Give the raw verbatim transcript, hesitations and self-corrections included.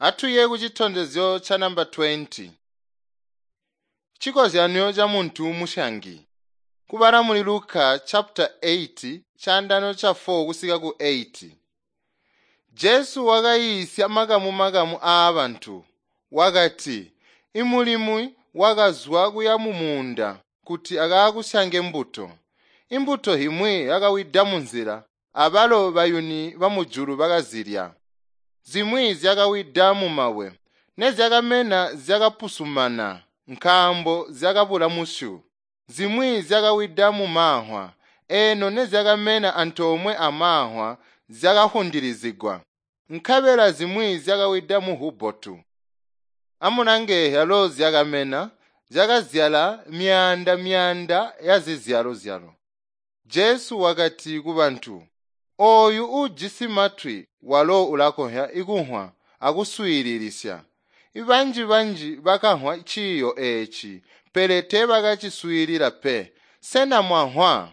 Atuye kucitondezyo ca namba twenty. Cikozyanyo ca muntu musyangi. Kubala muli Luka chapter eight caandano ca four kusika ku eight. Jesu wakayiisya makamu-makamu aabantu. Wakati, "Imulimi wakazwa kuya mumuunda kuti akakusyange mbuto. Imbuto imwi yakawida munzila, abalo bayuni bamujulu bakazilya. Zimwi zyakawida mumabwe, nezyakamena zyakapusumana nkaambo zyakabula musyu. Zimwi zyakawida mumamvwa, eno nezyakamena antoomwe amamvwa zyakahundilizigwa. Nkabela zimwi zyakawida muhubotu. Amulange zyalo zyakamena, zyakazyala myaanda-myaanda yazizyalozyalo." Jesu wakati kubantu, "Ooyu uujisi matwi walo ulakonzya kumvwa akuswiililisya." Banji-banji bakamvwa ciiyo eeci, pele teebakaciswiilila pe. Sena mwamvwa?